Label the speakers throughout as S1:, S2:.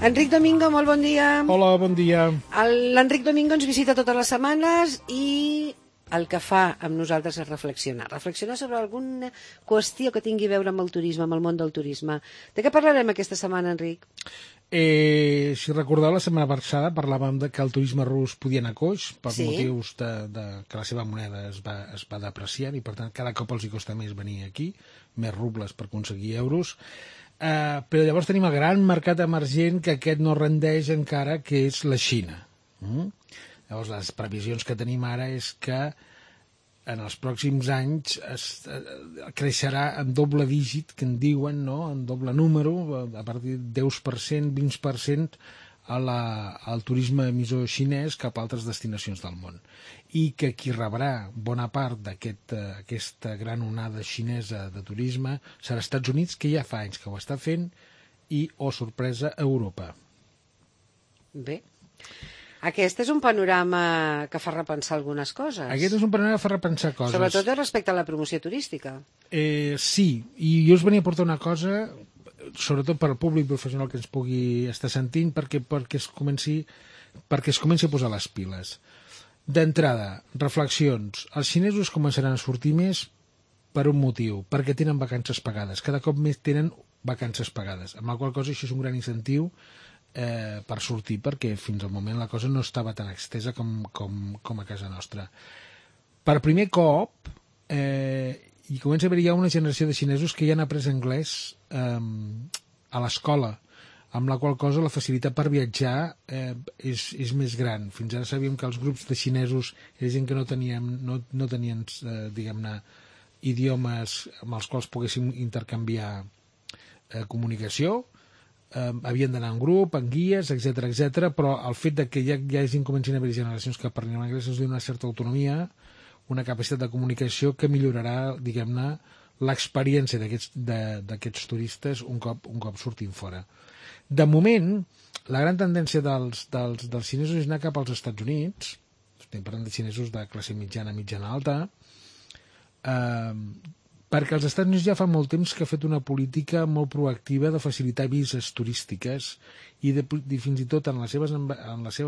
S1: Enric Domingo, molt bon dia.
S2: Hola, bon dia.
S1: L'Enric Domingo ens visita totes les setmanes i el que fa amb nosaltres és reflexionar. Reflexionar sobre alguna qüestió que tingui a veure amb el turisme, amb el món del turisme. De què parlarem aquesta setmana, Enric?
S2: Si recordeu, la setmana passada parlàvem de que el turisme rus podia anar coix per motius que la seva moneda es va depreciant i, per tant, cada cop els hi costa més venir aquí, més rubles per aconseguir euros. Però llavors tenim el gran mercat emergent que aquest no rendeix encara, que és la Xina. Llavors, les previsions que tenim ara és que en els pròxims anys creixerà en doble dígit, que en diuen, no? En doble número, a partir de 10%, 20%, al turisme emissor xinès cap a altres destinacions del món. I que qui rebrà bona part d'aquesta gran onada xinesa de turisme serà Estats Units, que ja fa anys que ho està fent, i, oh sorpresa, Europa.
S1: Bé. Aquest és un panorama que fa repensar algunes coses.
S2: Aquest és un panorama que fa repensar coses.
S1: Sobretot respecte a la promoció turística.
S2: Sí, i jo us venia a portar una cosa, sobretot per al públic professional que ens pugui estar sentint, perquè es comenci a posar les piles. D'entrada, reflexions. Els xinesos començaran a sortir més per un motiu, perquè tenen vacances pagades. Cada cop més tenen vacances pagades, amb la qual cosa això és un gran incentiu per sortir, perquè fins al moment la cosa no estava tan extesa com a casa nostra. Per primer cop hi comença a haver ja una generació de xinesos que ja han après anglès a l'escola, amb la qual cosa la facilitat per viatjar és més gran. Fins ara sabíem que els grups de xinesos era gent que no tenien diguem-ne, idiomes amb els quals poguéssim intercanviar comunicació, havien d'anar en grup, en guies, etc, però el fet de que ja comencin a haver generacions que parlin anglès ens dona una certa autonomia, una capacitat de comunicació que millorarà, diguem-ne, l'experiència d'aquests turistes un cop sortim fora. De moment, la gran tendència dels xinesos és anar cap als Estats Units, estem parlant de xinesos de classe mitjana alta, perquè els Estats Units ja fa molt temps que ha fet una política molt proactiva de facilitar vises turístiques i fins i tot en la seva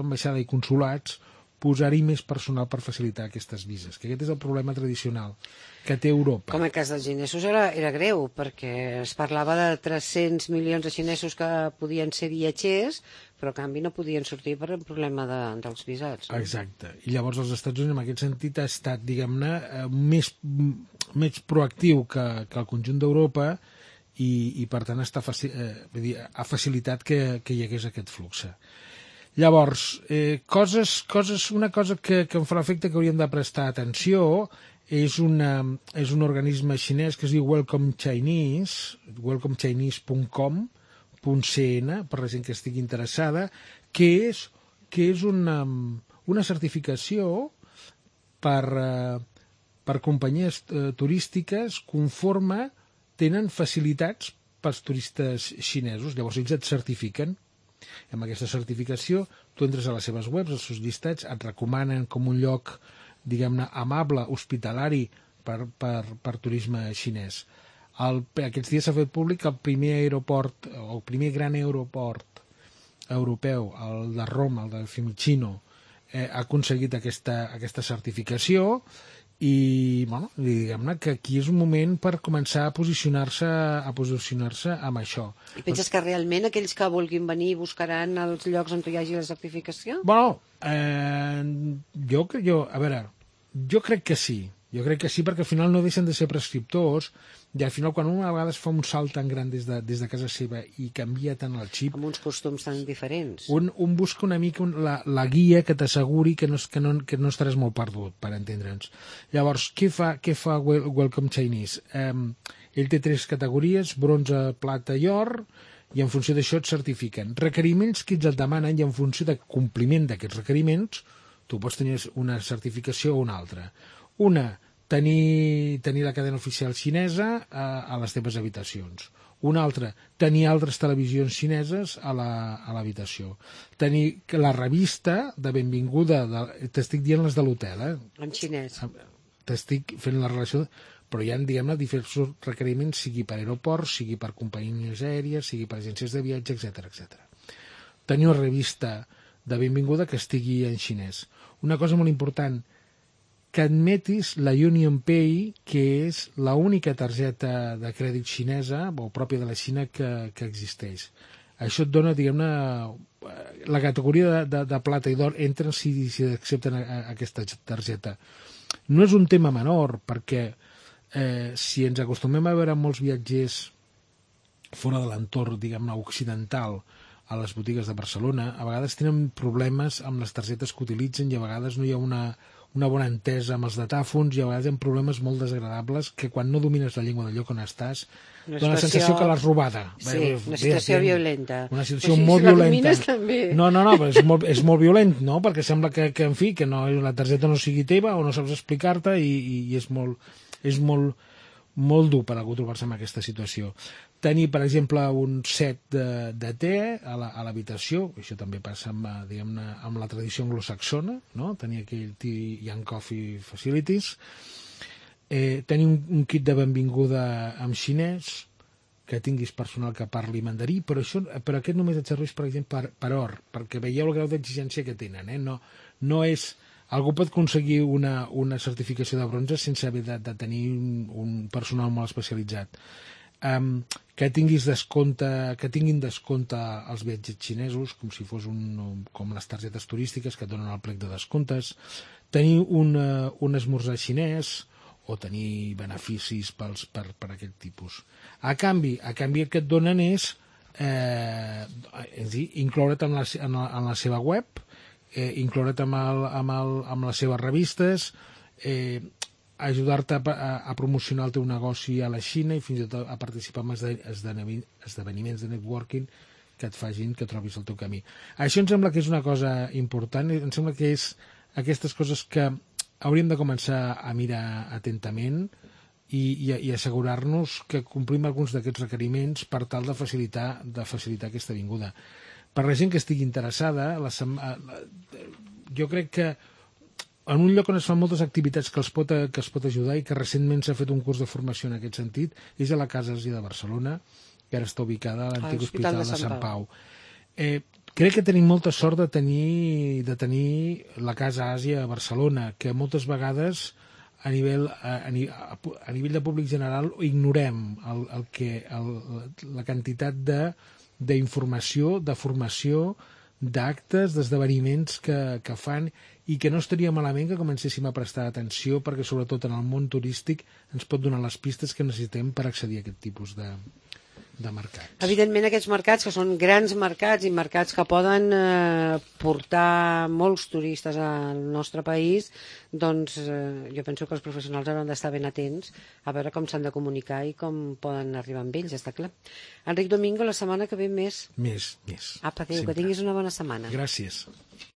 S2: ambaixada i consulats posar-hi més personal per facilitar aquestes vises, que aquest és el problema tradicional que té Europa.
S1: Com el cas dels xinesos era greu, perquè es parlava de 300 milions de xinesos que podien ser viatgers, però a canvi no podien sortir per el problema dels visats. No?
S2: Exacte. I llavors els Estats Units en aquest sentit ha estat, diguem-ne, més proactiu que el conjunt d'Europa i per tant ha facilitat que hi hagués aquest flux. Llavors, una cosa que em fa l'efecte que hauríem de prestar atenció és un organisme xinès que es diu Welcome Chinese, welcomechinese.com.cn, per la gent que estigui interessada, que és una certificació per companyies turístiques conforme tenen facilitats pels turistes xinesos. Llavors ells et certifiquen. Amb aquesta certificació tu entres a les seves webs, als seus llistats, et recomanen com un lloc, diguem-ne, amable, hospitalari per turisme xinès. Aquests dies s'ha fet públic el primer gran aeroport europeu, el de Roma, el de Fiumicino, ha aconseguit aquesta certificació i diguem-ne que aquí és un moment per començar a posicionar-se amb això.
S1: I penses que realment aquells que vulguin venir buscaran els llocs on hi hagi la certificació?
S2: Jo crec que sí. Jo crec que sí, perquè al final no deixen de ser prescriptors i al final quan una vegada es fa un salt tan gran des de casa seva i canvia tant el xip...
S1: Amb uns costums tan diferents.
S2: Un busca una mica la guia que t'asseguri que no estaràs molt perdut, per entendre'ns. Llavors, què fa Welcome Chinese? Ell té 3 categories, bronze, plata i or, i en funció d'això et certifiquen. Requeriments que ells et demanen i en funció de compliment d'aquests requeriments tu pots tenir una certificació o una altra. Una, tenir la cadena oficial xinesa a les teves habitacions. Una altra, tenir altres televisions xineses a l'habitació. Tenir la revista de benvinguda, t'estic dient les de l'hotel,
S1: En xinès.
S2: T'estic fent la relació, però hi ha, diguem-ne, diferents requeriments, sigui per aeroports, sigui per companyies aèries, sigui per agències de viatge, etc. tenir una revista de benvinguda que estigui en xinès. Una cosa molt important, que admetis la UnionPay, que és l'única targeta de crèdit xinesa o pròpia de la Xina que existeix. Això et dona, diguem-ne, la categoria de plata i d'or entren si accepten aquesta targeta. No és un tema menor, perquè si ens acostumem a veure molts viatgers fora de l'entorn, diguem-ne, occidental, a les botigues de Barcelona, a vegades tenen problemes amb les targetes que utilitzen i a vegades no hi ha una bona entesa amb els datàfons i a vegades hi ha problemes molt desagradables que quan no domines la llengua del lloc on estàs dona la sensació que l'has robada.
S1: Sí, una situació violenta.
S2: Una situació molt violenta.
S1: També.
S2: No, però és molt violent, no? Perquè sembla que en fi, que la targeta no sigui teva o no saps explicar-te i és molt dur per algú trobar-se en aquesta situació. Tenir, per exemple, un set de te a l'habitació, això també passa amb la tradició anglosaxona, no? Tenir aquell Tea Young Coffee Facilities, tenir un kit de benvinguda en xinès, que tinguis personal que parli mandarí, però aquest només et serveix, per exemple, per or, perquè veieu el grau d'exigència que tenen. No és... Algú pot aconseguir una certificació de bronze sense haver de tenir un personal molt especialitzat. Que tinguin descompte els viatgers xinesos, com si fos com les targetes turístiques que et donen el plec de descomptes, tenir un esmorzar xinès o tenir beneficis per aquest tipus. A canvi el que et donen és incloure't en la seva web, incloure't amb les seves revistes, ajudar-te a promocionar el teu negoci a la Xina i fins i tot a participar en esdeveniments de networking que et facin que trobis el teu camí. Això em sembla que és una cosa important, em sembla que és aquestes coses que hauríem de començar a mirar atentament i assegurar-nos que complim alguns d'aquests requeriments per tal de facilitar aquesta vinguda. Per la gent que estigui interessada, jo crec que en un lloc on es fan moltes activitats que es pot ajudar i que recentment s'ha fet un curs de formació en aquest sentit, és a la Casa Àsia de Barcelona, que ara està ubicada a l'antic Hospital de Sant Pau. Crec que tenim molta sort de tenir la Casa Àsia a Barcelona, que moltes vegades a nivell de públic general ignorem la quantitat d'informació, de formació, d'actes, d'esdeveniments que fan i que no estaria malament que comencéssim a prestar atenció perquè sobretot en el món turístic ens pot donar les pistes que necessitem per accedir a aquest tipus de mercats.
S1: Evidentment aquests mercats que són grans mercats i mercats que poden portar molts turistes al nostre país, doncs jo penso que els professionals hauran d'estar ben atents a veure com s'han de comunicar i com poden arribar amb ells, està clar. Enric Domingo, la setmana que ve més.
S2: Més.
S1: Apa, adéu, que tinguis una bona setmana.
S2: Gràcies.